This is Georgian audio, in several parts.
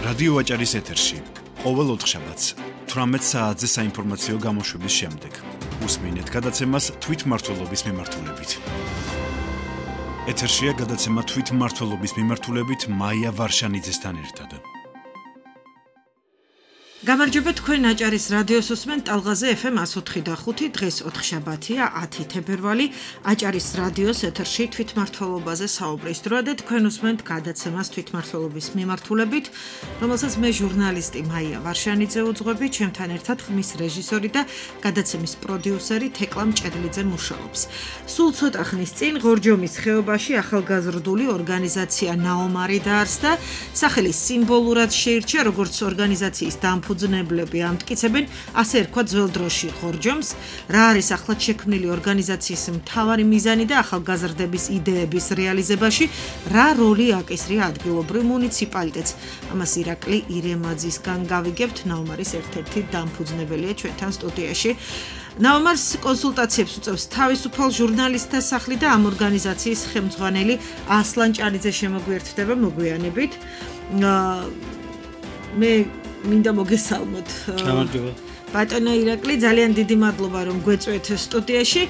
რადიო აჭარის ეთერში ყოველ ოთხშაბათს 18 საათზე საინფორმაციო გამოშვების შემდეგ უსმინეთ გადაცემას თვითმმართველობის მიმართულებით. ეთერშია გადაცემა თვითმმართველობის მიმართულებით მაია ვარშანიძესთან ერთად. გამარჯობა თქვენ აჭარის რადიოს უსმენთ ტალღაზე FM 104.5 დღეს ოთხშაბათია 10 თებერვალი აჭარის რადიოს ეთერში თვითმმართველობაზე საუბრის დროა და თქვენ უსმენთ გადაცემას თვითმმართველობის მიმართულებით, რომელსაც მე ჟურნალისტი მაია ვარშანიძე უძღვები, ჩემთან ერთად ხმის რეჟისორი და გადაცემის პროდიუსერი თეკლა მჭედლიძე მუშაობს. სულ ცოტა ხნის წინ ღორჯომის ხეობაში ახალგაზრდული ორგანიზაცია ნაომარი დაარსდა, სახელი სიმბოლურად შეირჩა როგორც ორგანიზაციის დამფუძნებლები ამტკიცებენ, ასე ერქვა ძველ დროში ღორჯომს, რა არის ახლად შექმნილი ორგანიზაციის მთავარი მიზანი და ახალგაზრდების იდეების რეალიზებაში რა როლი აკისრია ადგილობრივ მუნიციპალიტეტს. ამას ირაკლი ირემაძისგან გავიგებთ, ნაომარის ერთ-ერთი დამფუძნებელია ჩვენთან სტუდიაში. ნაომარს კონსულტაციებს უწევს თავისუფალ ჟურნალისტთა სახლი და ამ ორგანიზაციის ხელმძღვანელი ასლან ჭალიძე შემოგვიერთდება მოგვიანებით. მე მინდა მოგესალმოთ. გამარჯობა. ბატონო ირაკლი, ძალიან დიდი მადლობა რომ გვეწვეთ სტუდიაში.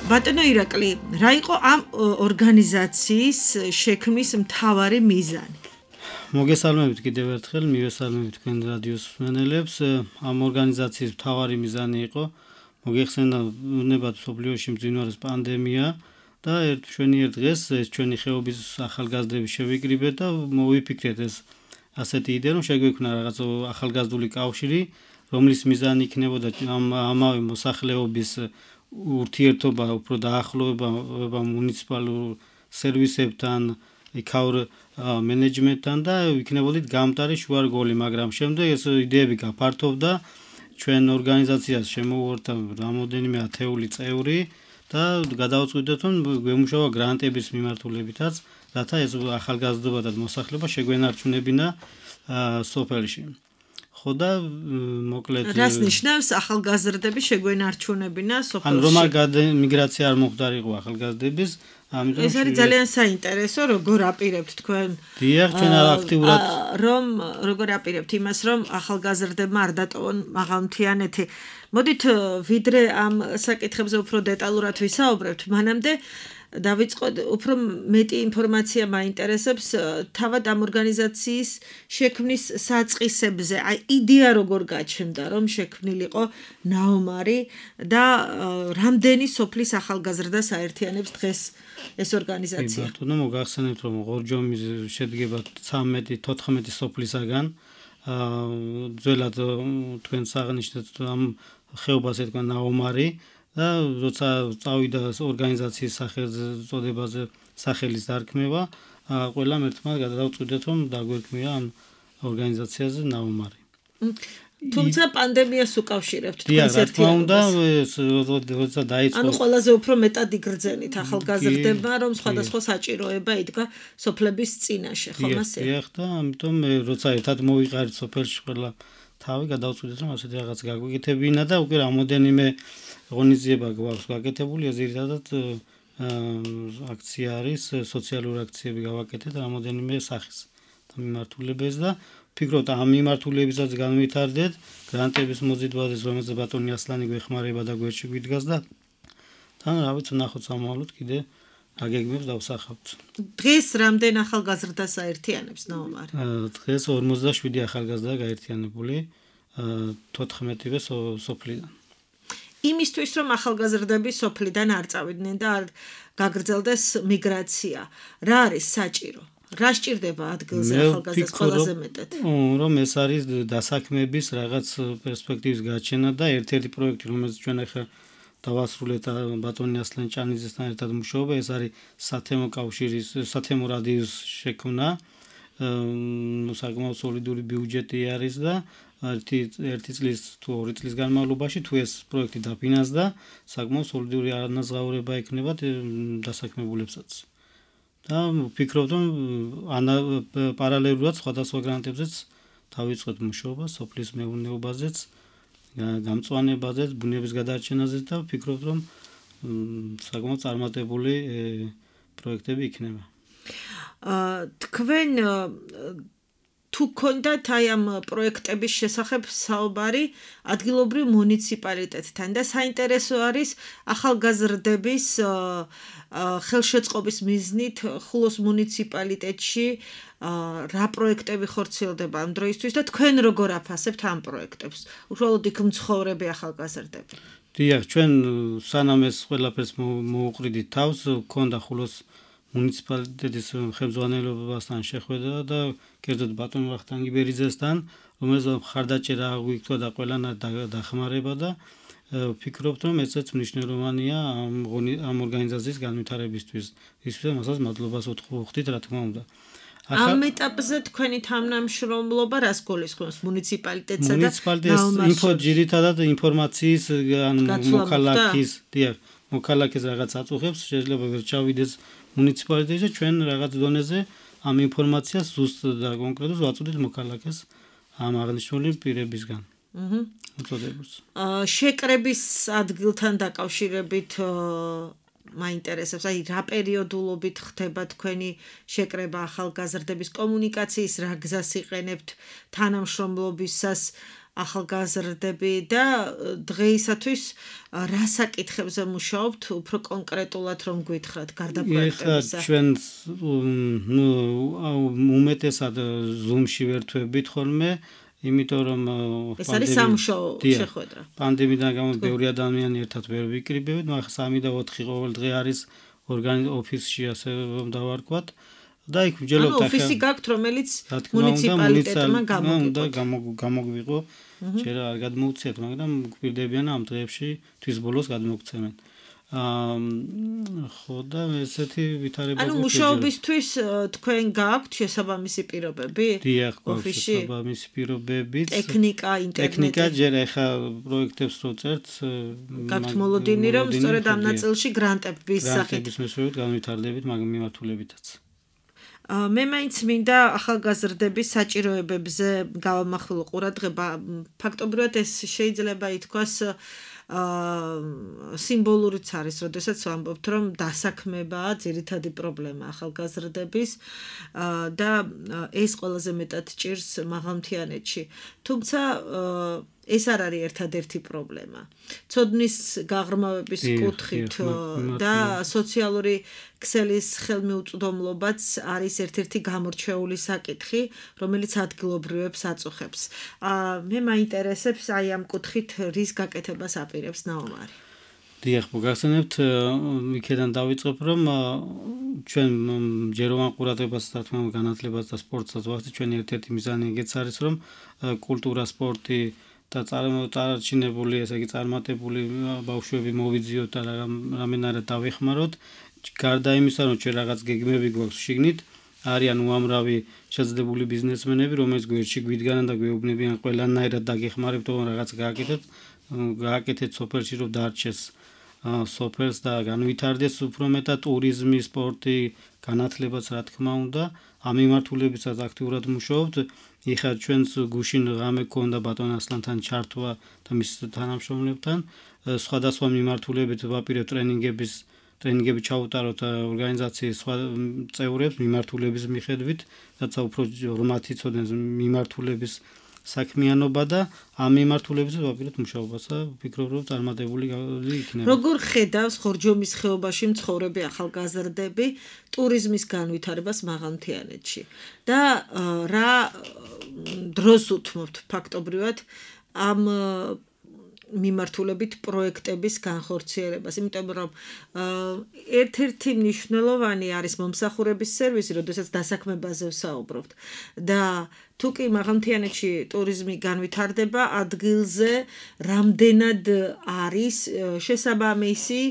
ბატონო ირაკლი, რა იყო ამ ორგანიზაციის შექმნის მთავარი მიზანი? მოგესალმებით კიდევ ერთხელ, მივესალმებით თქვენ რადიოს მსმენელებს. ამ ორგანიზაციის მთავარი მიზანი იყო მოგეხსენებათ მსოფლიოში მძინვარეს პანდემია და ჩვენიერ დღეს ეს ჩვენი ხეობის ახალგაზრდები შევიკრიბეთ და მოვიფიქრეთ ეს ასეთი იდეა, რომ შეგვექმნა რაღაც ახალგაზრდული კავშირი, რომლის მიზანი იქნებოდა ამავე მოსახლეობის ურთიერთობა, უფრო დაახლოება მუნიციპალურ სერვისებთან, იქაურ მენეჯმენტთან და იქნებოდით გამტარი შუარგოლი, მაგრამ შემდეგ ეს იდეები გაფართოვდა, ჩვენ ორგანიზაციას შემოვუარდა რამოდენიმე ათეული წევრი და გადავწყვიტეთ, რომ გვემუშავა გრანტების მიმართულებითაც, რათა ეს ახალგაზრდობა და მოსახლეობა შეგვენარჩუნებინა სოფელში. ხო და მოკლედ რას ნიშნავს ახალგაზრდები შეგვენარჩუნებინა სოფელში? ან რომ მიგრაცია არ მოხდარიყო ახალგაზრდების, ამიტომ ეს არის ძალიან საინტერესო, როგორ აპირებთ თქვენ? დიახ, ჩვენ აქტიურად როგორ აპირებთ იმას, რომ ახალგაზრდებმა არ დატოვონ მაღალმთიანეთი. მოდით ვიდრე ამ საკითხებზე უფრო დეტალურად ვისაუბრებთ, მანამდე დავიწყოთ უფრო მეტი ინფორმაცია მაინტერესებს თავად ამ ორგანიზაციის შექმნის საწყისებზე. აი იდეა როგორ გაჩნდა, რომ შექმნილიყო ნაომარი და რამდენი სოფლის ახალგაზრდას აერთიანებს დღეს ეს ორგანიზაცია? ბატონო, მოგახსენებთ, რომ ღორჯომი შედგება 13-14 სოფლისაგან. ძველად თქვენ აღნიშნეთ ამ ხეობას ეთქვა ნაომარი და როცა წავიდა ორგანიზაციის სახელწოდებაზე სახელის დარქმევა, ყველამ ერთმანეთს გადავწყვიტეთ, რომ დაგვერქმია ამ ორგანიზაციაზე ნაომარი. თუმცა პანდემიას უკავშირებთ თქვენს ერთიანობას. როცა დაიწყო, ანუ ყველაზე უფრო მეტად იგრძენით ახალგაზრდებმა, რომ სხვადასხვა საჭიროება იდგა სოფლების წინაშე, ხომ ასე? დიახ, და ამიტომ როცა ერთად მოვიყარით სოფელში ყველა თავი, გადავწყვიტეთ, რომ ასეთი რაღაც გაგვიკეთებინა და უკვე რამოდენიმე ღონისძიება გვაქვს გაკეთებული, ზირთადად აქცია არის, სოციალური აქციები გავაკეთეთ რამოდენიმე სახის და მიმართულებას და ვფიქრობთ ამ მიმართულებისაც განვითარდეთ გრანტების მოზიდვაზე, რომელზეც ბატონი ასლანი გვეხმარება და გვერდში გვიდგას და თან რა ვიცი, ნახოთ სამოვალოდ კიდე აგეგმებს დავსახავთ. დღეს რამდენ ახალგაზრდას აერთიანებს ნაომარი? დღეს 47 ახალგაზრდა გაერთიანებული 14-ვე სოფლიდან. იმისთვის, რომ ახალგაზრდები სოფლიდან არ წავიდნენ და არ გაგრძელდეს მიგრაცია, რა არის საჭირო? რა სჭირდება ადგილზე ახალგაზრდას ყველაზე მეტად? რომ ეს არის დასაქმების რაღაც პერსპექტივის გაჩენა და ერთ-ერთი პროექტი, რომელიც ჩვენ ახლა დავასრულეთ ბატონი ასლან ჭალიძესთან ერთად მუშაობა, ეს არის სათემო კავშირის, სათემო რადიოს შექმნა. საკმაოდ სოლიდური ბიუჯეტი არის და ერთი წლის თუ 2 წლის განმავლობაში თუ ეს პროექტი დაფინანსდა, საკმაოდ სოლიდური ანაზღაურება ექნება დასაქმებულებსაც. და ვფიქრობ, რომ პარალელურად სხვადასხვა გრანტებზეც დავიწყოთ მუშაობა სოფლის მეურნეობაზეც, გამწვანებაზეც, ბუნების გადარჩენაზეც და ვფიქრობ, რომ საკმაოდ წარმატებული პროექტები იქნება. თქვენ თუ გქონდათ აი ამ პროექტების შესახებ საუბარი ადგილობრივ მუნიციპალიტეტთან და საინტერესო არის ახალგაზრდების ხელშეწყობის მიზნით ხულოს მუნიციპალიტეტში რა პროექტები ხორციელდება ამ დროისთვის და თქვენ როგორ აფასებთ ამ პროექტებს? უშუალოდ იქ მცხოვრები ახალგაზრდები. დიახ, ჩვენ სანამ ეს ყველაფერს მოუყრიდით თავს, გქონდა ხულოს მუნიციპალიტეტის ხელმძღვანელობასთან შეხვედრა და კერძოდ ბატონ ვახტანგი ბერიძესთან, რომელზეც მხარდაჭერა აღვიქვა და ყველანაირ დახმარება და ვფიქრობთ, რომ ესეც მნიშვნელოვანია ამ ორგანიზაციის განვითარებისთვის. ისე მასაც მადლობას ვუხდით, რა თქმა უნდა. ამ ეტაპზე თქვენი თანამშრომლობა რას გულისხმობს მუნიციპალიტეტსა და მუნიციპალიტეტის ძირითადად ინფორმაციის მოქალაქეს რაღაც აწუხებს, შეიძლება ვერ ჩავიდეს მუნიციპალიტეტში და ჩვენ რაღაც დონეზე ამ ინფორმაციას ზუსტ და კონკრეტულად ვაწვდით მოქალაქეს ამ აღნიშნული პირებისგან. შეკრების ადგილთან დაკავშირებით მაინტერესებს, აი რა პერიოდულობით ხდება თქვენი შეკრება ახალგაზრდების კომუნიკაციის, რა გზას იყენებთ თანამშრომლობისას ახალგაზრდები და დღეისათვის რა საკითხებზე მუშაობთ უფრო კონკრეტულად რომ გითხრათ გარდა პროექტებისა? ჩვენ უმეტესად Zoom-ში ვერთვებით ხოლმე, იმიტომ რომ ეს არის სამუშაო შეხვედრა. პანდემიიდან გამო ბევრი ადამიანი ერთად ვერ ვიკრიბებით, მაგრამ 3 და 4 ყოველ დღე არის ოფისში ასე რომ დავარქვათ. და იქ ვჯელობთ ახლა ოფისი გაქვთ, რომელიც მუნიციპალიტეტმა გამოგვიყო. ჯერ არ გადმოუცეთ, მაგრამ გვირდებიან ამ დღეებში თვის ბოლოს გადმოგცემენ. ხო და ესეთი ვითარება ანუ მუშაობისთვის თქვენ გაქვთ შესაბამისი პირობები? დიახ, გვაქვს შესაბამისი პირობები. ტექნიკა, ინტერნეტი. ტექნიკა ჯერ ახლა პროექტებს რო წერთ, გაქვთ მოლოდინი, რომ სწორედ ამ ნაწილში გრანტების სახით. გრანტების მეშვეობით განვითარდებით მაგ მიმართულებითაც. მე მაინც მინდა ახალგაზრდების საჭიროებებზე გავამახვილო ყურადღება. ფაქტობრივად ეს შეიძლება ითქვას სიმბოლურიც არის, როდესაც ვამბობთ, რომ დასაქმებაა ძირითადი პრობლემა ახალგაზრდების და ეს ყველაზე მეტად ჭირს მაღალმთიანეთში. თუმცა ეს არ არის ერთადერთი პრობლემა. ცოდნის გაღრმავების კუთხით და სოციალური ქსელის ხელმიუწვდომლობაც არის ერთ-ერთი გამორჩეული საკითხი, რომელიც ადგილობრივებს აწუხებს. მე მაინტერესებს აი ამ კუთხით რის გაკეთებას აპირებს ნაომარი. დიახ, მოგახსენებთ, იქიდან დავიწყებ, რომ ჩვენ ჯეროვან ყურადღებას და თქმა უნდა განათლებას და სპორტსაც ვახდით. ჩვენი ერთ-ერთი მიზანი ეგეც არის, რომ კულტურა, სპორტი და წარჩინებული, ესე იგი წარმატებული ბავშვები მოვიძიოთ და რამენარად დავეხმაროთ. გარდა იმისა, რომ ჩვენ რაღაც გეგმები გვაქვს შიგნით, არიან უამრავი შეძლებული ბიზნესმენები, რომელიც გვერდში გვიდგანან და გვეუბნებიან ყველანაირად დაგეხმარებთ, რომ რაღაც გააკეთეთ სოფელში, რომ დარჩეს სოფელს და განვითარდეს უფრო მეტად ტურიზმი, სპორტი, განათლებაც რა თქმა უნდა. ამ მიმართულებისას აქტიურად მუშაობთ. ეხლა ჩვენს გუშინ ღამე გქონდა ბატონ ასლანთან ჩართვა და მის თანამშრომლებთან. სხვადასხვა მიმართულებით ვაპირებთ ტრენინგები ჩაუტაროთ ორგანიზაციის სხვა წევრებს მიმართულების მიხედვით, რათა უფრო ორმად იცოდნენ მიმართულების საქმიანობა და ამ მიმართულებით ვაპირებთ მუშაობას და ვფიქრობ, რომ წარმატებული იქნება. როგორ ხედავს ხორჯომის ხეობაში მცხოვრები ახალგაზრდები ტურიზმის განვითარებას მაღალმთიანეთში და რა დროს უთმობთ ფაქტობრივად ამ მიმართულებით პროექტების განხორციელებას, იმიტომ რომ ერთ-ერთი მნიშვნელოვანი არის მომსახურების სერვისი, როდესაც დასაქმებაზე ვსაუბრობთ და თუ კი მაღალმთიანეთში ტურიზმი განვითარდება, ადგილზე რამდენად არის შესაბამისი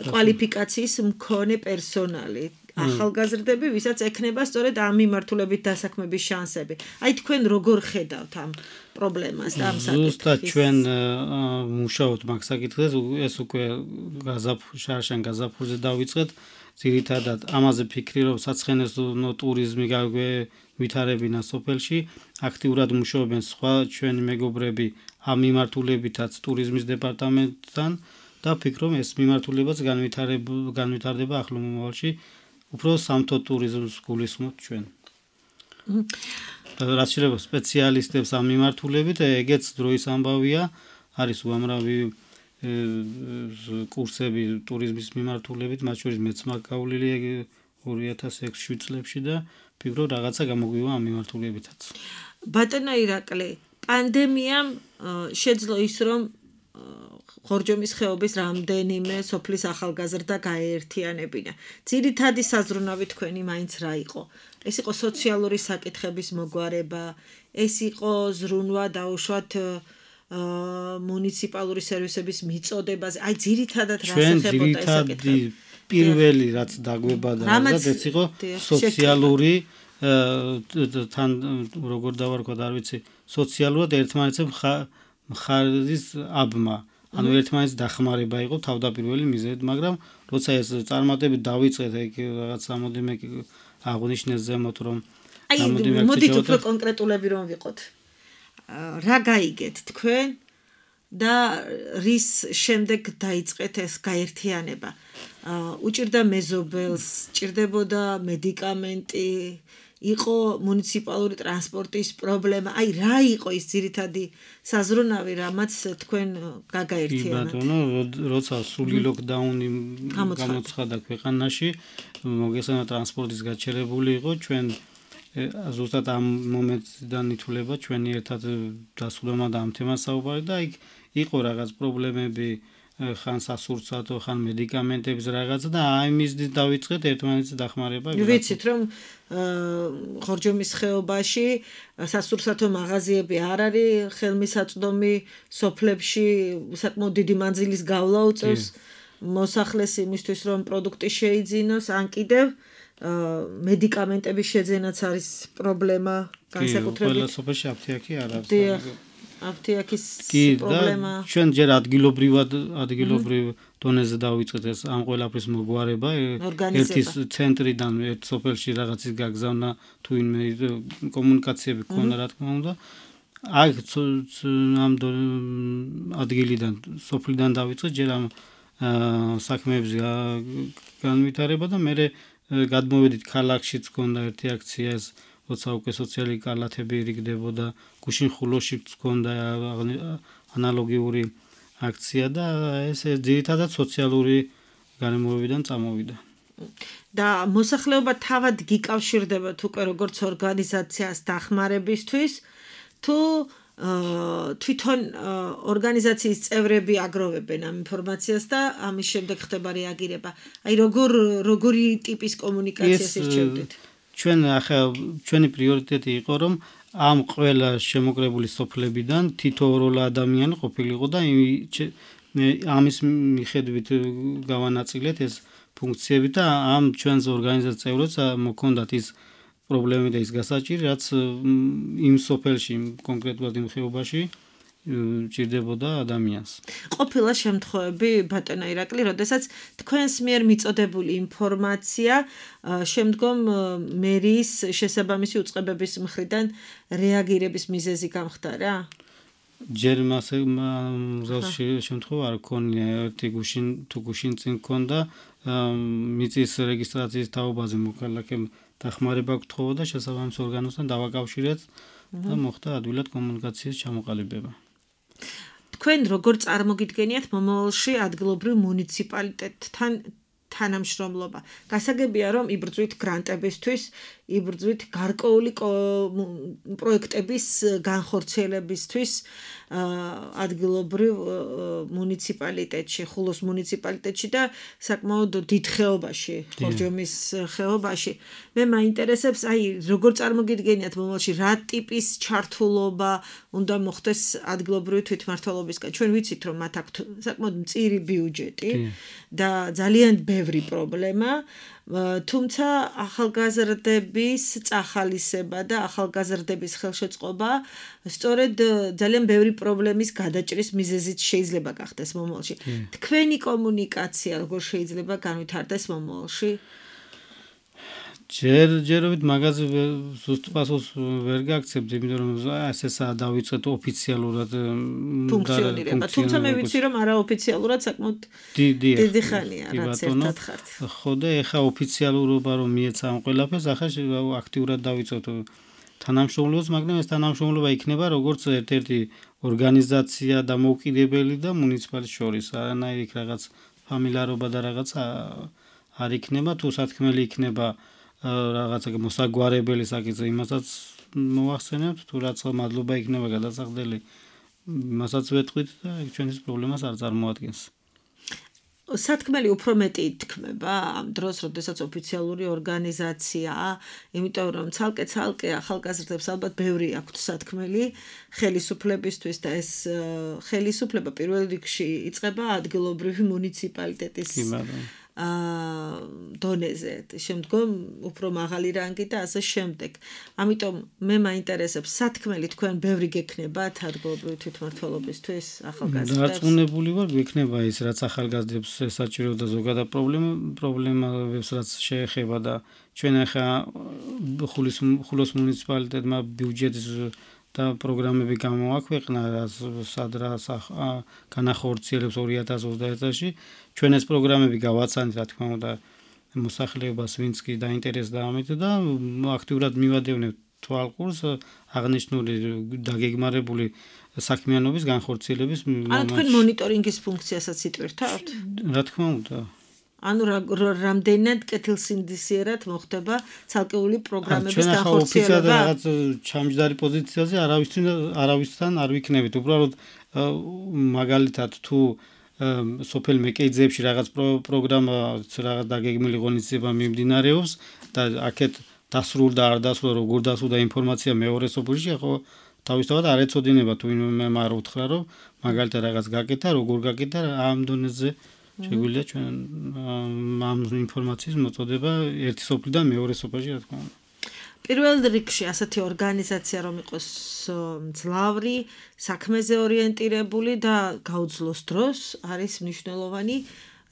კვალიფიკაციის მქონე პერსონალი. ახალგაზრდები, ვისაც ექნება სწორედ ამ მიმართულებით დასაქმების შანსები. აი თქვენ როგორ ხედავთ ამ პრობლემას და ამ საკითხს? ზუსტად ჩვენ მუშაობთ მაგ საკითხზე, ეს უკვე შარშან გაზაფხულზე დავიწყეთ. ძირითადად ამაზე ფიქრი, რომ საცხენოსნო ტურიზმი ვითარებინა სოფელში, აქტიურად მუშაობენ სხვა ჩვენი მეგობრები ამ მიმართულებითაც ტურიზმის დეპარტამენტთან და ვფიქრობ, ეს მიმართულებაც განვითარდება ახლო მომავალში. უფრო სამთო ტურიზმს გულისხმობთ ჩვენ. რაც შეიძლება სპეციალისტებს ამ მიმართულებით, ეგეც დროის ამბავია, არის უამრავი კურსები ტურიზმის მიმართულებით, მათ შორის მეც მაგავლილი 2006 წლებში და ფიქრობ რაღაცა გამოგვივა ამ მიმართულებითაც. ბატონო ირაკლი, პანდემიამ შეძლო ის, რომ ხორჯომის ხეობის რამდენიმე სოფლის ახალგაზრდა გაეერთიანებინა. ძირითადი საზრუნავი თქვენი მაინც რა იყო? ეს იყო სოციალური საკითხების მოგვარება, ეს იყო ზრუნვა დაუშვათ მუნიციპალური სერვისების მიწოდებაზე. აი ძირითადად რა ეხებოდა ეს საკითხი? პირველი რაც დაგვებადა, ეს იყო სოციალური თან როგორ დავარქვათ, არ ვიცი, სოციალურად ერთმანეთზე მხარის აბმა. ანუ ერთმანეთს დახმარება იყო თავდაპირველი მიზეზი, მაგრამ როცა ეს წარმატებით დავიწყეთ, ეგ რაღაც ამოდიმე აღნიშნეს ზემოთ, რომ მოდით უფრო კონკრეტულები რომ ვიყოთ. რა გაიგეთ თქვენ და რის შემდეგ დაიწყეთ ეს გაერთიანება? უჭირდა მეზობელს, ჭირდებოდა მედიკამენტი, იყო მუნიციპალური ტრანსპორტის პრობლემა. აი რა იყო ის ძირითადი საზრუნავი, რამაც თქვენ გაგაერთიანებთ? ბატონო, როცა სული ლოკდაუნი გამოცხადა ქვეყანაში, მოგესალმებით ტრანსპორტის გაჩერებული იყო, ჩვენ ზუსტად ამ მომენტიდან ითვლება ჩვენი ერთად დასვლა და ამ თემას საუბარი და იქ იყო რაღაც პრობლემები, ხან სასურსათო, ხან მედიკამენტების რაღაც და აი მიზნით დავიწყეთ ერთმანეთს დახმარება. ვიცით რომ ხორჯომის ხეობაში სასურსათო მაღაზიები არ არის, ხელმისაწვდომი სოფლებში საკმაოდ დიდი მანძილის გავლა უწევს მოსახლეს იმისთვის რომ პროდუქტი შეიძინოს, ან კიდევ მედიკამენტების შეძენაც არის პრობლემა განსაკუთრებით. ყველა სოფელში აფთიაქი არ არის. აფთიაქის პრობლემა. ჩვენ ჯერ ადგილობრივ დონეზე დავიწყეთ ეს ამ ყველაფრის მოგვარება. ერთის ცენტრიდან ერთ სოფელში რაღაცის გაგზავნა თუ ინმე კომუნიკაციები ქონდა რა თქმა უნდა. აქ ამ ადგილიდან სოფლიდან დავიწყეთ ჯერ ამ საქმეებზე განვითარება და მე გადმოვედით ქალაქშიც ქონდა ერთი აქცია ეს როცა უკვე სოციალური კალათები რიგდებოდა, გუშინ ხულოშიც ქონდა ანალოგიური აქცია და ეს ძირითადად სოციალური გარემოებიდან წამოვიდა. და მოსახლეობა თავად გიკავშირდება უკვე როგორც ორგანიზაციას დახმარებისთვის, თუ თვითონ ორგანიზაციის წევრები აგროვებენ ამ ინფორმაციას და ამის შემდეგ ხდება რეაგირება. აი როგორი ტიპის კომუნიკაციას ირჩევდით? ჩვენი პრიორიტეტი იყო რომ ამ ყველა შემოკრებული სოფლებიდან თითოეული ადამიანი ყოფილიყო და ამის მიხედვით გავანაწილეთ ეს ფუნქციები და ამ ჩვენს ორგანიზაციას წევრებს მოქონდათ ის პრობლემები და ის გასაჭირი, რაც იმ სოფელში, კონკრეტულად იმ ხეობაში ჭირდებოდა ადამიანს. ყოფილა შემთხვევები, ბატონო ირაკლი, როდესაც თქვენს მიერ მიწოდებული ინფორმაცია შემდგომ მერიის შესაბამისი უწყებების მხრიდან რეაგირების მიზეზი გამხდარა? ჯერ მასე შემთხვევა არ ქონია, ერთი გუშინ წინ ქონდა მიწის რეგისტრაციის თაობაზე მოქალაქემ დახმარება გთხოვოდა შესაბამის ორგანოსთან დავაკავშირეთ და მოხდა ადვილად კომუნიკაციის ჩამოყალიბება. თქვენ როგორ წარმოგიდგენიათ მომავალში ადგილობრივ მუნიციპალიტეტთან თანამშრომლობა? გასაგებია რომ იბრძვით გრანტებისთვის, იბრძვით გარკვეული პროექტების განხორციელებისთვის ადგილობრივ მუნიციპალიტეტში, ხულოს მუნიციპალიტეტში და საკმაოდ დიდ ხეობაში, ხორჯომის ხეობაში. მე მაინტერესებს, აი როგორ წარმოგიდგენიათ მომავალში რა ტიპის ჩართულობა უნდა მოხდეს ადგილობრივი თვითმმართველობისგან? ჩვენ ვიცით რომ მათ აქვთ საკმაოდ მწირი ბიუჯეტი და ძალიან ბევრი პრობლემა, თუმცა ახალგაზრდების წახალისება და ახალგაზრდების ხელშეწყობა სწორედ ძალიან ბევრი პრობლემის გადაჭრის მიზეზით შეიძლება გახდეს მომავალში. თქვენი კომუნიკაცია როგორ შეიძლება განვითარდეს მომავალში? ჯერჯერობით მაგაზე ზუსტ პასუხს ვერ გაგცემთ, იმიტომ რომ ესაა დავიწყეთ ოფიციალურად ფუნქციონირება. თუმცა მე ვიცი რომ არაოფიციალურად საკმაოდ დიდი ხანია რაც ერთად ხართ. ხო და ეხა ოფიციალურობა რომ მიეცა ამ ყველაფერს, ახლა აქტიურად დავიწყეთ თანამშრომლობს, მაგრამ ეს თანამშრომლობა იქნება როგორც ერთ-ერთი ორგანიზაცია და მოვკიდებელი და მუნიციპალიტეტის შორის, არანაირი რაღაც ფამილიარობა და რაღაც არ იქნება, თუ სათქმელი იქნება რაღაცა მოსაგვარებელი საკითხი, იმასაც მოახსენებთ, თუ რაც მადლობა იქნება გადასახდელი, იმასაც ვეთქვით და ეგ ჩვენთვის პრობლემას არ წარმოადგენს. სათქმელი უფრო მეტი ითქმება ამ დროს, როდესაც ოფიციალური ორგანიზაციაა, იმიტომ რომ ცალკე ახალგაზრდებს ალბათ ბევრი აქვთ სათქმელი ხელისუფლებისთვის და ეს ხელისუფლება პირველ რიგში იწყება ადგილობრივი მუნიციპალიტეტის დონეზე, შემდგომ უფრო მაღალი რანგი და ასე შემდეგ. ამიტომ მე მაინტერესებს სათქმელი თქვენ ბევრი გექნებათ ადგილობრივი თვითმმართველობისთვის ახალგაზრდებს? დარწმუნებული ვარ, გექნება ის, რაც ახალგაზრდებს საჭიროა და ზოგადად პრობლემებს რაც შეეხება და ჩვენ ახლა ხულოს მუნიციპალიტეტმა ბიუჯეტის და პროგრამები გამოაქვეყნა, სადრას განახორციელებს 2021 წელს. ჩვენ ეს პროგრამები გავაცანით, რა თქმა უნდა, მოსახლეობას, ვინც კი დაინტერესდა ამით და აქტიურად მივადევნებთ თვალყურს აღნიშნული დაგეგმარებული საქმიანობის განხორციელების. ანუ თქვენ მონიტორინგის ფუნქციასაც იტვირთავთ? რა თქმა უნდა. ანუ რამდენად კეთილსინდისიერად მოხდება ცალკეული პროგრამების განხორციელება? ჩვენ რაღაც ჩამჯდარი პოზიციაზე არავისთან არ ვიქნებით. უბრალოდ მაგალითად თუ სოფელ მეკეიძეებში რაღაც პროგრამა რაღაც დაგეგმილი ღონისძიება მიმდინარეობს და აქეთ დასრულდა არ დასრულდა, როგორ დასრულდა ინფორმაცია მეორე სოფელში, ხო თავისთავად არ ეწოდინება თუ ვინმე არ უთხრა რომ მაგალითად რაღაც გაკეთა, როგორ გაკეთა, ამ დონეზე შეგვიძლია ჩვენ ამ ინფორმაციის მოწოდება ერთი სოფლიდან მეორე სოფელში, რა თქმა უნდა. პირველ რიგში ასეთი ორგანიზაცია რომ იყოს მძლავრი, საქმეზე ორიენტირებული და გაუძლოს დროს, არის მნიშვნელოვანი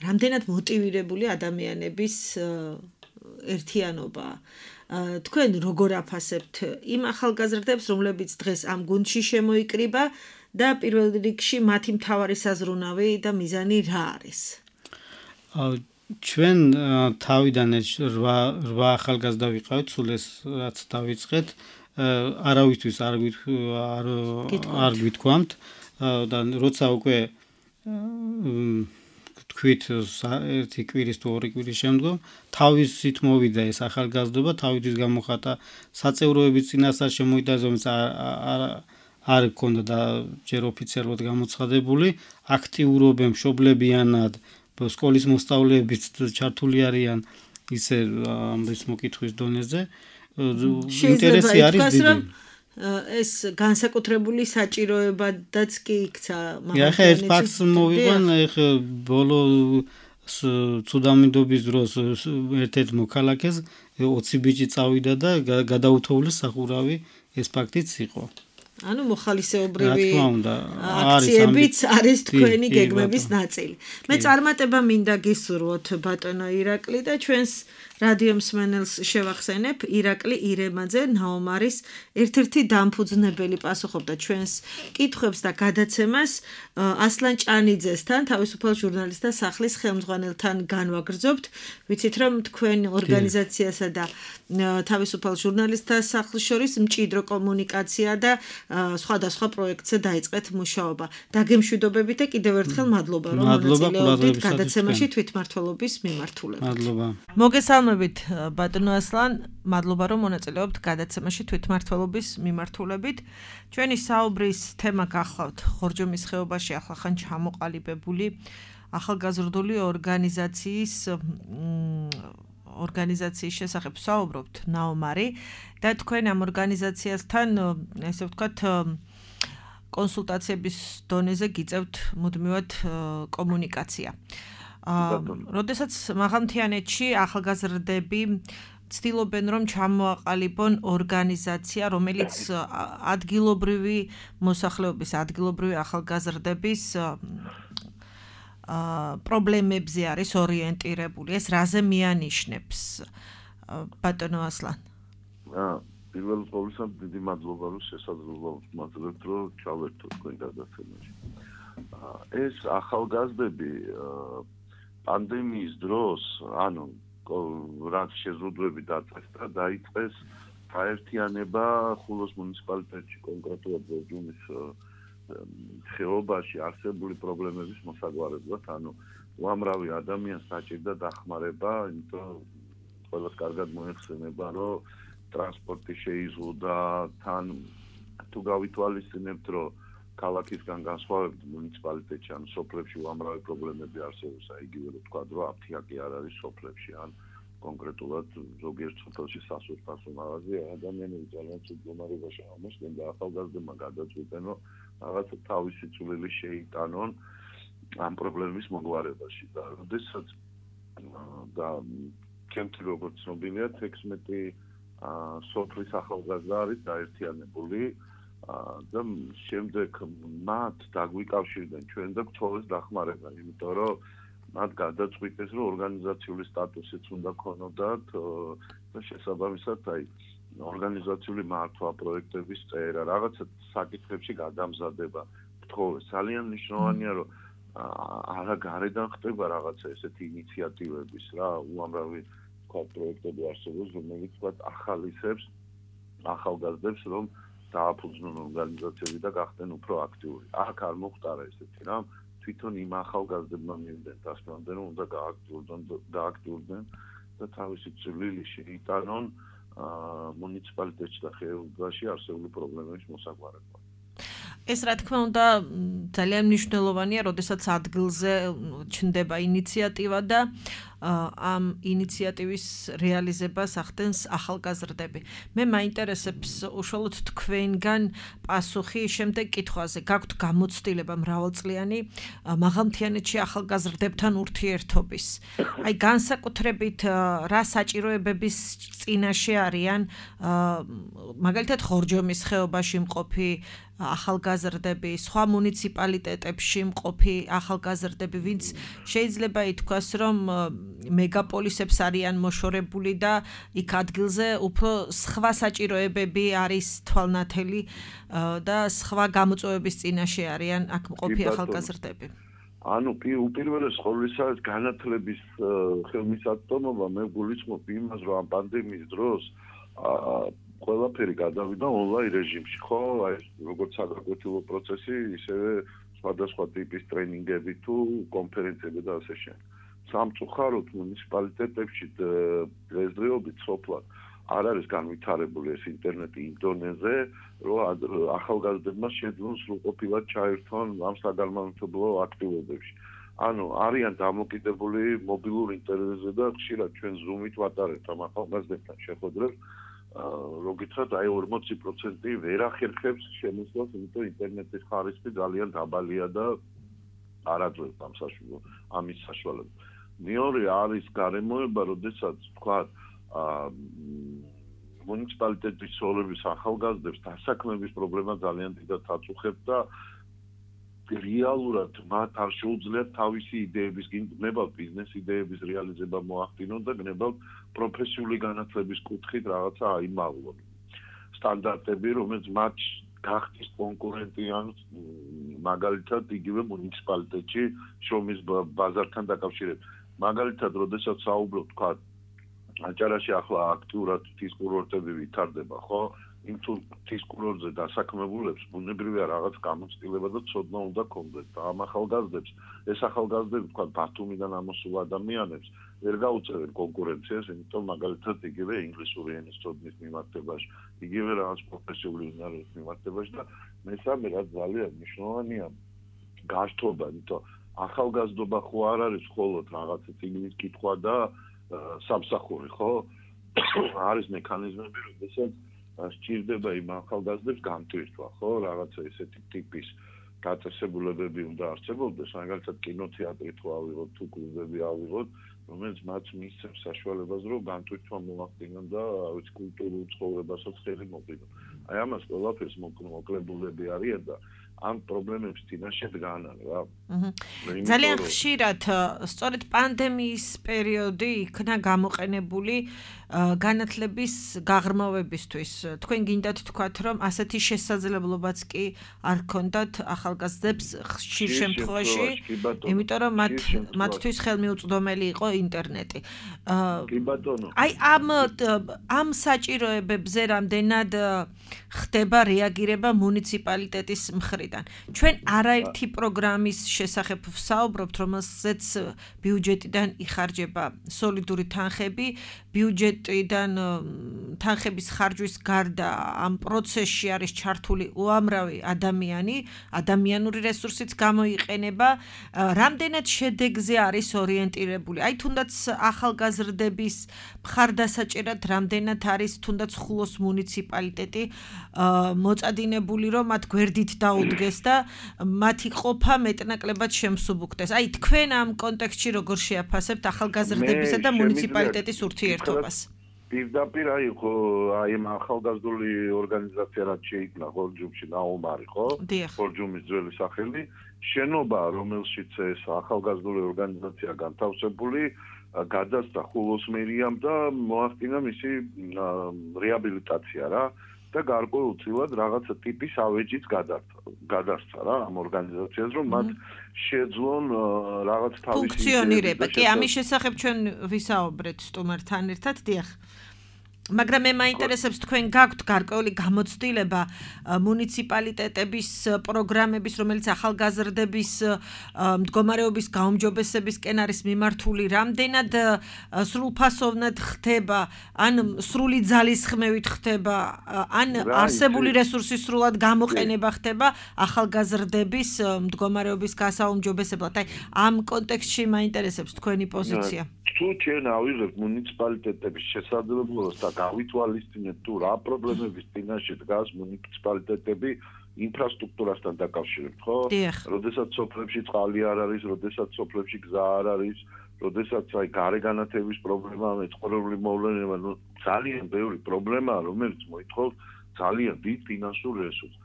რამდენად მოტივირებული ადამიანების ერთიანობა. თქვენ როგორ აფასებთ იმ ახალგაზრდებს, რომლებიც დღეს ამ გუნდში შემოიკრიბა და პირველ რიგში მათი მთავარი საზრუნავი და მიზანი რა არის? ჩვენ თავიდან 8 ახალგაზრდა ვიყავით, სულ ეს რაც დავიწყეთ, არავისთვის არ გვითქვამთ და როცა უკვე თქვით ერთი კვირის თუ ორი კვირის შემდგომ თავისით მოვიდა ეს ახალგაზრდობა, თავისთვის გამოხატა საწევროების წინასწარ შემოიტანეს არ გქონდა და ჯერ ოფიციალურად გამოცხადებული, აქტიურობენ, მშობლებიანად, სკოლის მოსწავლეებიც ჩართული არიან ისე ამის მოკითხვის დონეზე. ინტერესი არის დიდი. ეს განსაკუთრებული საჭიროებადაც კი იქცა მაგალითად. ახლა ერთ ფაქტს მოვიყვან, ახლა ბოლო ცუდამინდობის დროს ერთ-ერთ მოქალაქეს 20 ბიჭი წავიდა და გადაუთოვლეს სახურავი, ეს ფაქტიც იყო. ანუ მოხალისეობრივი აქციებიც არის თქვენი გეგმების ნაწილი. მე წარმატება მინდა გისურვოთ ბატონო ირაკლი და ჩვენს რადიო მსმენელს შევახსენებ, ირაკლი ირემაძე ნაომარის ერთ-ერთი დამფუძნებელი პასუხობდა ჩვენს კითხვებს და გადაცემას ასლან ჭანიძესთან, თავისუფალ ჟურნალისტთა სახლის ხელმძღვანელთან განვაგრძობთ. ვიცით რომ თქვენ ორგანიზაციასა და თავისუფალ ჟურნალისტთა სახლის შორის მჭიდრო კომუნიკაცია და სხვადასხვა პროექტზე დაიწყეთ მუშაობა. დაგემშვიდობებით და კიდევ ერთხელ მადლობა რომ მონაწილეობდით გადაცემაში თვითმმართველობის მიმართულებით. მადლობა. მოგესალმებით ბატონო ასლან, მადლობა რომ მონაწილეობთ გადაცემაში თვითმმართველობის მიმართულებით. ჩვენი საუბრის თემა გახლავთ ხორჯომის ხეობაში ახლახან ჩამოყალიბებული ახალგაზრდული ორგანიზაციის შესახებ საუბრობთ ნაომარი და თქვენ ამ ორგანიზაციასთან ესე ვთქვათ კონსულტაციების დონეზე გიწევთ მუდმივად კომუნიკაცია. როდესაც მაღალმთიანეთში ახალგაზრდები ცდილობენ რომ ჩამოაყალიბონ ორგანიზაცია, რომელიც ადგილობრივი მოსახლეობის, ადგილობრივი ახალგაზრდების პრობლემებზე არის ორიენტირებული. ეს რაზე მიანიშნებს ბატონო ასლან? პირველ ყოვლისა დიდი მადლობა რომ შესაძლებლობა მაძლევთ რომ ჩავერთო თქვენ გადაცემაში. ეს ახალგაზრდები პანდემიის დროს, ანუ რაც შეზღუდვები დაწესდა, დაიწყეს გაერთიანება ხულოს მუნიციპალიტეტში კონკრეტულად ბორჯომის ხეობაში არსებული პრობლემების მოსაგვარებლად, ანუ უამრავი ადამიანს საჭირდა დახმარება, იმიტომ ყველას კარგად მოეხსენება, რომ ტრანსპორტი შეიზღუდა, თან თუ გავითვალისწინებთ, რომ ქალაქისგან განსხვავებით მუნიციპალიტეტში ან სოფლებში უამრავი პრობლემები არსებობს, იგივე რომ თქვა, რომ აფთიაკი არ არის სოფლებში, ან კონკრეტულად ზოგიერთ სოფელში სასურსათო მაღაზია, ადამიანები ძალიან მდგომარეობაში აღმოჩნდნენ და ახალგაზრდებმა გადაწყვიტენ, რომ რაღაცა თავისი წვლილი შეიტანონ ამ პრობლემის მოგვარებაში და როდესაც და ჩემთვის როგორც ცნობილია 16 სოფლის ახალგაზრდა არის გაერთიანებული და შემდეგ მათ დაგვიკავშირდნენ ჩვენ და გთხოვეს დახმარება, იმიტომ რომ მათ გადაწყვიტეს, რომ ორგანიზაციული სტატუსიც უნდა ქონოდათ და შესაბამისად ორგანიზაციული მართვა პროექტების წერა, რაღაცა საკითხებში გადამზადება გთხოვეს. ძალიან მნიშვნელოვანია, რომ არა გარედან ხდება რაღაცა ესეთი ინიციატივების რა, უამრავი პროექტები არსებობს, რომელიც ახალისებს ახალგაზრდებს, რომ დააფუძნონ ორგანიზაციები და გახდნენ უფრო აქტიური. აქ არ მოხდარა ესეთი რამ, თვითონ იმ ახალგაზრდებმა მივიდნენ დასკვნამდე, რომ უნდა გააქტიურდნენ და თავისი წვლილი შეიტანონ მუნიციპალიტეტში და ხეობაში არსებული პრობლემების მოსაგვარებლად. ეს რა თქმა უნდა ძალიან მნიშვნელოვანია, როდესაც ადგილზე ჩნდება ინიციატივა და ამ ინიციატივის რეალიზებას ახდენს ახალგაზრდები. მე მაინტერესებს უშუალოდ თქვენგან პასუხი შემდეგ კითხვაზე. გაქვთ გამოცდილება მრავალწლიანი მაღალმთიანეთში ახალგაზრდებთან ურთიერთობის. აი განსაკუთრებით რა საჭიროებების წინაშე არიან მაგალითად ხორჯომის ხეობაში მყოფი ახალგაზრდები, სხვა მუნიციპალიტეტებში მყოფი ახალგაზრდები, ვინც შეიძლება ითქვას, რომ მეგაპოლისებს არიან მოშორებული და იქ ადგილზე უფრო სხვა საჭიროებები არის თვალნათელი და სხვა გამოწვევების წინაშე არიან აქ მყოფი ახალგაზრდები. ანუ უპირველეს ყოვლისა განათლების ხელმისაწვდომობა მე გულისხმობ იმას, რომ ამ პანდემიის დროს ყველაფერი გადავიდა ონლაინ რეჟიმში, ხო? აი როგორც საგაკვეთილო პროცესი, ისევე სხვადასხვა ტიპის ტრენინგები თუ კონფერენციები და ასე შემდეგ. სამწუხაროდ მუნიციპალიტეტებში დღესდღეობით სოფლად არ არის განვითარებული ეს ინტერნეტი იმ დონეზე, რომ ახალგაზრდებმა შეძლონ სრულყოფილად ჩაერთონ ამ საგანმანათლებლო აქტივობებში. ანუ არიან დამოკიდებული მობილურ ინტერნეტზე და ხშირად ჩვენ Zoom-ით ვატარებთ ამ ახალგაზრდებთან შეხვედრებს. რო გითხრათ, აი 40% ვერ ახერხებს შემოსვლას, იმიტომ ინტერნეტის ხარისხი ძალიან დაბალია და არ აძლევს ამის საშუალებას. მეორე არის გარემოება, როდესაც თქვა მუნიციპალიტეტის ცოლების ახალგაზრდებს დასაქმების პრობლემა ძალიან დიდად აწუხებს და რეალურად მათ არ შეუძლიათ თავისი იდეების გნებავთ ბიზნეს იდეების რეალიზება მოახდინონ და გნებავთ პროფესიული განათლების კუთხით რაღაცა აიმაღლონ. სტანდარტები, რომელიც მათ გახდის კონკურენტი ან მაგალითად იგივე მუნიციპალიტეტში შრომის ბაზართან დაკავშირებით. მაგალითად, როდესაც საუბრობ თქვა აჭარაში ახლა აქტიურად ღვთის კურორტები ვითარდება, ხო? იმ თუ ღვთის კურორტზე დასაქმებულებს ბუნებრივია რაღაც გამოცდილება და ცოდნა უნდა ქონდეს და ამ ახალგაზრდებს, ეს ახალგაზრდები თქვა ბათუმიდან ამოსულ ადამიანებს ვერ გაუწევენ კონკურენციას, იმიტომ მაგალითად იგივე ინგლისური ენის ცოდნის მიმართებაში, იგივე რაღაც პროფესიული უნარების მიმართებაში და მესამე რაც ძალიან მნიშვნელოვანია გაშთობა, იმიტომ ახალგაზრდობა ხო არ არის მხოლოდ რაღაცა წიგნის კითხვა და სამსახური, ხო? არის მექანიზმები, როდესაც სჭირდება იმ ახალგაზრდებს გამტვირთვა, ხო? რაღაცა ესეთი ტიპის დაწესებულებები უნდა არსებობდეს, მაგალითად კინოთეატრი თუ ავიღოთ, თუ კლუბები ავიღოთ, რომელიც მათ მისცემს საშუალებას, რომ გამტვირთვა მოახდინონ და ვიცი კულტურულ ცხოვრებასაც ხელი მოგდონ. აი ამას ყველაფერს მოკლებულები არიან და ამ პრობლემების წინაშე დგანან რა. ძალიან ხშირად სწორედ პანდემიის პერიოდი იქნა გამოყენებული განათლების გაღრმავებისთვის. თქვენ გინდათ თქვათ, რომ ასეთი შესაძლებლობაც კი არ ჰქონდათ ახალგაზრდებს ხშირ შემთხვევაში, იმიტომ რომ მათთვის ხელმიუწვდომელი იყო ინტერნეტი. კი ბატონო. აი ამ საჭიროებებზე რამდენად ხდება რეაგირება მუნიციპალიტეტის მხრიდან. ჩვენ არაერთი პროგრამის შესახებ ვსაუბრობთ, რომელზეც ბიუჯეტიდან იხარჯება სოლიდური თანხები, ბიუჯეტიდან თანხების ხარჯვის გარდა ამ პროცესში არის ჩართული უამრავი ადამიანური რესურსიც გამოიყენება, რამდენად შედეგზე არის ორიენტირებული. აი თუნდაც ახალგაზრდების მხარდასაჭერად რამდენად არის თუნდაც ხულოს მუნიციპალიტეტი მოწადინებული, რომ მათ გვერდით დაუდგეს და მათი ყოფა მეტნაკლებად შემსუბუქდეს. აი თქვენ ამ კონტექსტში როგორ შეაფასებთ ახალგაზრდებისა და მუნიციპალიტეტის ურთიერთობას? პირდაპირ აი ამ ახალგაზრდული ორგანიზაცია რაც შეიქმნა ხორჯუმში ნაუმარი, ხო? ხორჯუმის ძველი სახელი, შენობა, რომელშიც ეს ახალგაზრდული ორგანიზაცია განთავსებული, გადასცა ხულოს მერიამ და მოახდინა მისი რეაბილიტაცია რა. და გარკვეულწილად რაღაცა ტიპის ავეჯიც გადასცა რა ამ ორგანიზაციას, რომ მათ შეძლონ რაღაც თავისი ფუნქციონირება. კი, ამის შესახებ ჩვენ ვისაუბრეთ სტუმართან ერთად, დიახ. მაგრამ მე მაინტერესებს თქვენ გაქვთ გარკვეული გამოცდილება მუნიციპალიტეტების პროგრამების, რომელიც ახალგაზრდების მდგომარეობის გაუმჯობესებისკენ არის მიმართული, რამდენად სრულფასოვნად ხდება, ან სრული ძალისხმევით ხდება, ან არსებული რესურსის სრულად გამოყენება ხდება ახალგაზრდების მდგომარეობის გასაუმჯობესებლად. აი ამ კონტექსტში მაინტერესებს თქვენი პოზიცია. თუ ჩვენ ავიღებთ მუნიციპალიტეტების შესაძლებლობას და გავითვალისწინებთ თუ რა პრობლემების წინაშე დგას მუნიციპალიტეტები ინფრასტრუქტურასთან დაკავშირებით, ხო? როდესაც სოფლებში წყალი არ არის, როდესაც სოფლებში გზა არ არის, როდესაც აი გარეგანათების პრობლემაა, მეცხოველური მოვლენა, ძალიან ბევრი პრობლემაა, რომელიც მოითხოვს ძალიან დიდ ფინანსურ რესურსს.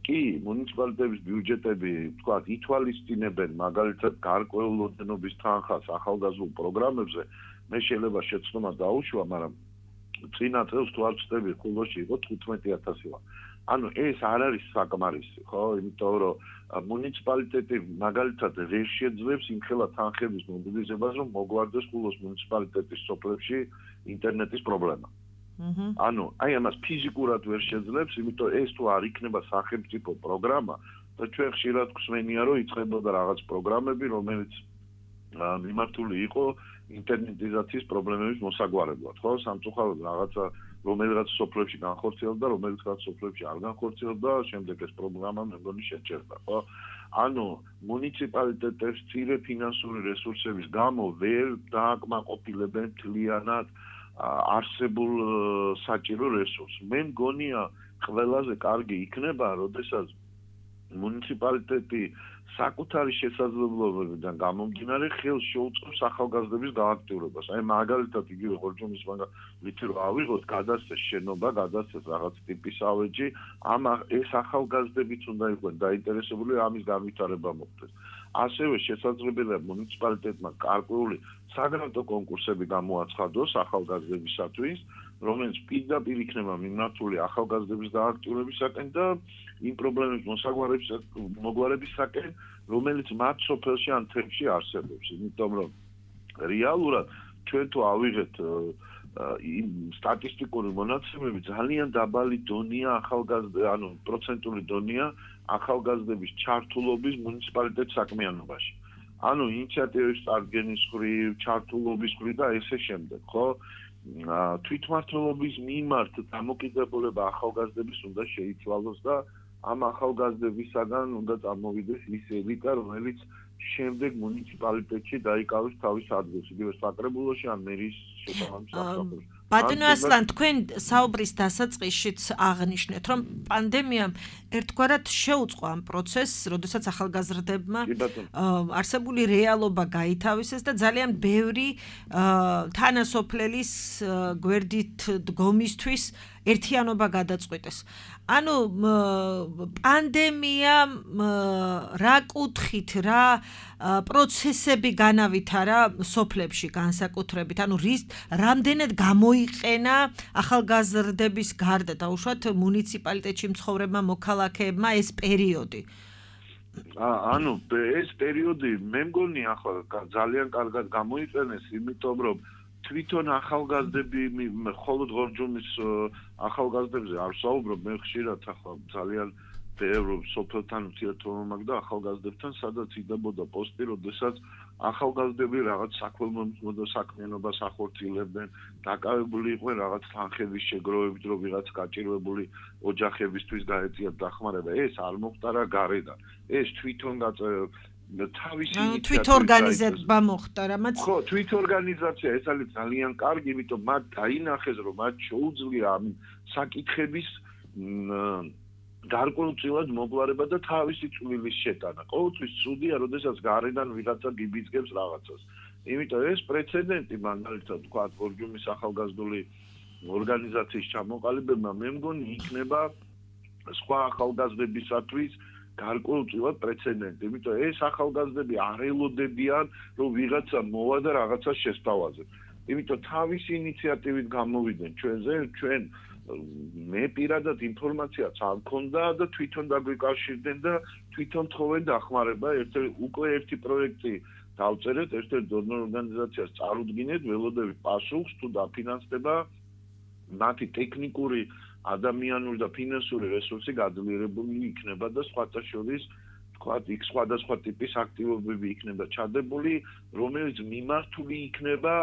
კი, მუნიციპალიტეტების ბიუჯეტები, თქვათ, ითვალისწინებენ მაგალითად გარკვეულ ოდენობის თანხას ახალგაზრდულ პროგრამებზე, მე შეიძლება შეცდომა დაუშვა, მაგრამ წინა წელს თუ არ ვწდები, ხულოში იყო 15,000 ლარი. ანუ ეს არ არის საკმარისი, ხო? იმიტომ რომ მუნიციპალიტეტი მაგალითად ვერ შეძლებს იმხელა თანხების მობილიზებას, რომ მოგვარდეს ხულოს მუნიციპალიტეტის სოფლებში ინტერნეტის პრობლემა. ანუ აი ამას ფიზიკურად ვერ შეძლებს, იმიტომ ეს თუ არ იქნება სახელმწიფო პროგრამა და ჩვენ ხშირად გვსმენია, რომ იწყებოდა რაღაც პროგრამები, რომელიც მიმართული იყო ინტერნეტიზაციის პრობლემების მოსაგვარებლად, ხო? სამწუხაროდ რაღაცა რომელიღაც სოფლებში განხორციელდა, რომელიღაც სოფლებში არ განხორციელდა, შემდეგ ეს პროგრამა მე მგონი შეჩერდა, ხო? ანუ მუნიციპალიტეტებს მცირე ფინანსური რესურსების გამო ვერ დააკმაყოფილებენ მთლიანად არსებულ საჭირო რესურსს. მე მგონია ყველაზე კარგი იქნება, როდესაც მუნიციპალიტეტი საკუთარი შესაძლებლობებიდან გამომდინარე ხელს შეუწყობს ახალგაზრდების გააქტიურებას. აი მაგალითად იგივე ხორჯუმის მაგალითი რო ავიღოთ, გადასცეს შენობა, გადასცეს რაღაც ტიპის ავეჯი, ეს ახალგაზრდებიც უნდა იყვნენ დაინტერესებული ამის განვითარება მოხდეს. ასევე შესაძლებელია მუნიციპალიტეტმა გარკვეული საგრანტო კონკურსები გამოაცხადოს ახალგაზრდებისათვის, რომელიც პირდაპირ იქნება მიმართული ახალგაზრდების დააქტიურებისაკენ და იმ პრობლემების მოგვარებისაკენ, რომელიც მათ სოფელში ან თემში არსებობს. იმიტომ რომ რეალურად ჩვენ თუ ავიღეთ იმ სტატისტიკური მონაცემები, ძალიან დაბალი დონია ანუ პროცენტული დონია ახალგაზრდების ჩართულობის მუნიციპალიტეტ საქმიანობაში. ანუ ინიციატივის წარდგენის ხრივ, ჩართულობის ხრივ და ესე შემდეგ, ხო? თვითმმართველობის მიმართ დამოკიდებულება ახალგაზრდების უნდა შეიცვალოს და ამ ახალგაზრდებისაგან უნდა წარმოვიდეს ის ელიტა, რომელიც შემდეგ მუნიციპალიტეტში დაიკავოს თავის ადგილს, იგივე საკრებულოში ან მერის შესაბამის საფეხურში. ბატონო ასლან, თქვენ საუბრის დასაწყისშიც აღნიშნეთ, რომ პანდემიამ ერთგვარად შეუწყო ამ პროცესს, როდესაც ახალგაზრდებმა არსებული რეალობა გაითავისეს და ძალიან ბევრი თანასოფლელის გვერდით დგომისთვის ერთიანობა გადაწყვიტეს. ანუ პანდემია რა კუთხით, რა პროცესები განავითარა სოფლებში განსაკუთრებით, ანუ რამდენად გამოიყენა ახალგაზრდების გარდა დაუშვათ მუნიციპალიტეტში მცხოვრებმა მოქალაქეებმა ეს პერიოდი. ანუ ეს პერიოდი მე მგონი ახლა ძალიან კარგად გამოიყენეს, იმიტომ რომ თვითონ ახალგაზრდები მხოლოდ ღორჯომის ახალგაზრდებზე არ ვსაუბრობ, მე ხშირად ახლა ძალიან ბევრ სოფელთან ურთიერთობა მაქვს და ახალგაზრდებთან სადაც იდებოდა პოსტი, როდესაც ახალგაზრდები რაღაც საქველმოქმედო საქმიანობას ახორციელებდნენ, დაკავებული იყვნენ რაღაც თანხების შეგროვებით, რომ ვიღაც გაჭირვებული ოჯახებისთვის გაეწიათ დახმარება. ეს არ მოხდა რა გარედან. ეს თვითონ თავისი თვითორგანიზება მოხდა რამაც ხო თვითორგანიზაცია ეს არის ძალიან კარგი, იმიტომ მათ დაინახეს რომ მათ შეუძლია ამ საკითხების გარკვეულწილად მოგვარება და თავისი წვლილის შეტანა. ყოველთვის ცუდია, როდესაც გარედან ვიღაცა გიბიძგებს რაღაცას. იმიტომ ეს პრეცედენტი მაგალითად თქვა გორჯუმის ახალგაზრდული ორგანიზაციის ჩამოყალიბება მე მგონი იქნება სხვა ახალგაზრდებისათვის გარკვეულწილად პრეცედენტი. იმიტომ ეს ახალგაზრდები არ ელოდებიან, რომ ვიღაცა მოვა და რაღაცას შესთავაზებს. იმიტომ თავისი ინიციატივით გამოვიდნენ ჩვენზე, ჩვენ მე პირადად ინფორმაციაც არ მქონდა და თვითონ დაგვიკავშირდნენ და თვითონ თხოვენ დახმარება. უკვე ერთი პროექტი დავწერეთ, ერთ-ერთ დონორ ორგანიზაციას წარუდგინეთ, ველოდებით პასუხს თუ დაფინანსდება მათი ტექნიკური ადამიანური და ფინანსური რესურსი გაძლიერებული იქნება და სხვათა შორის თქვათ იქ სხვადასხვა ტიპის აქტივობები იქნება ჩადებული, რომელიც მიმართული იქნება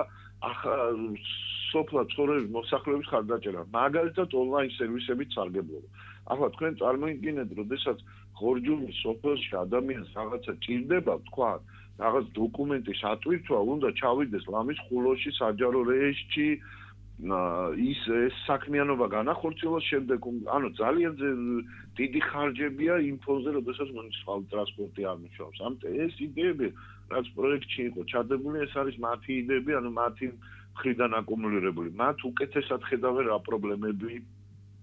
სოფლად ცხოვრების მოსახლეობის ხარდაჭერა, მაგალითად ონლაინ სერვისებით სარგებლობა. ახლა თქვენ წარმოიდგინეთ, როდესაც ღორჯუმის სოფელში ადამიანს რაღაცა ჭირდება, თქვათ, რაღაც დოკუმენტის ატვირთვა, უნდა ჩავიდეს ლამის ხულოში, საჯარო რეესტში, ის საქმიანობა განახორციელოს შემდეგ, ანუ ძალიან დიდი ხარჯებია იმ ფონზე, როდესაც მუნიციპალური ტრანსპორტი არ მუშაობს. ამიტომ ეს იდეები, რაც პროექტში იყო ჩადებული, ეს არის მათი იდეები, ანუ მათი მხრიდან აკუმულირებული. მათ უკეთესად ხედავენ რა პრობლემები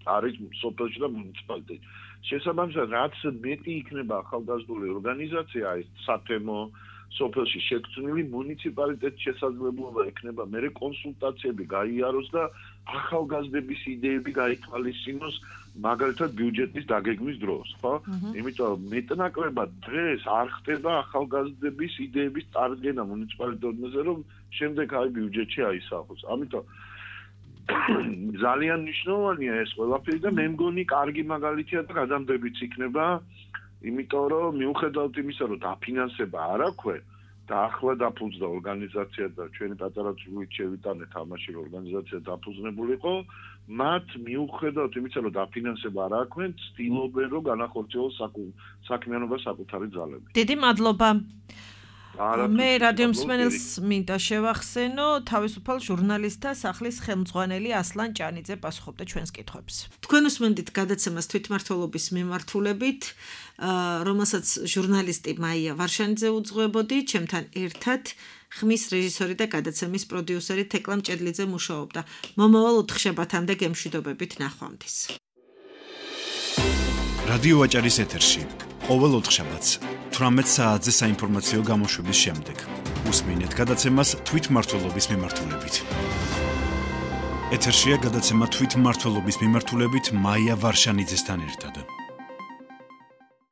არის სოფელში და მუნიციპალიტეტში. შესაბამისად, რაც მეტი იქნება ახალგაზრდული ორგანიზაცია, ეს სათემო სოფელში შექმნილი მუნიციპალიტეტის შესაძლებლობა ექნება მერე კონსულტაციები გაიაროს და ახალგაზრდების იდეები გაითვალისწინოს, მაგალითად ბიუჯეტის დაგეგმვის დროს, ხო? იმიტომ მეტნაკლებად დღეს არ ხდება ახალგაზრდების იდეების წარდგენა მუნიციპალიტეტებზე, რომ შემდეგ აი ბიუჯეტში აისახოს. ამიტომ ძალიან მნიშვნელოვანია ეს ყველაფერი და მე მგონი კარგი მაგალითია და გადამდებიც იქნება. იმიტომ რომ მიუხედავად იმისა, რომ დაფინანსება არ აქვთ და ახლა დაფუძნდა ორგანიზაცია და ჩვენი პატარა წვლით შევიტანეთ ამაში, რომ ორგანიზაცია დაფუძნებული იყო, მათ მიუხედავად იმისა, რომ დაფინანსება არ აქვთ, ცდილობენ, რომ განახორციელოს საქმიანობა საკუთარი ძალებით. დიდი მადლობა. მე რადიო მსმენელს მინდა შევახსენო, თავისუფალ ჟურნალისტთა სახლის ხელმძღვანელი ასლან ჭანიძე პასუხობდა ჩვენს კითხვებს. თქვენ უსმენთ გადაცემას თვითმმართველობის მიმართულებით, რომელსაც ჟურნალისტი მაია ვარშანიძე უძღვებოდი, ჩემთან ერთად ხმის რეჟისორი და გადაცემის პროდიუსერი თეკლა მჭედლიძე მუშაობდა. მომავალ ოთხშაბათამდე გემშვიდობებით ნახვამდის. რადიო აჭარის ეთერში ყოველ ოთხშაბათს 18 საათზე საინფორმაციო გამოშვების შემდეგ უსმინეთ გადაცემას თვითმმართველობის მიმართულებით. ეთერშია გადაცემა თვითმმართველობის მიმართულებით მაია ვარშანიძესთან ერთად.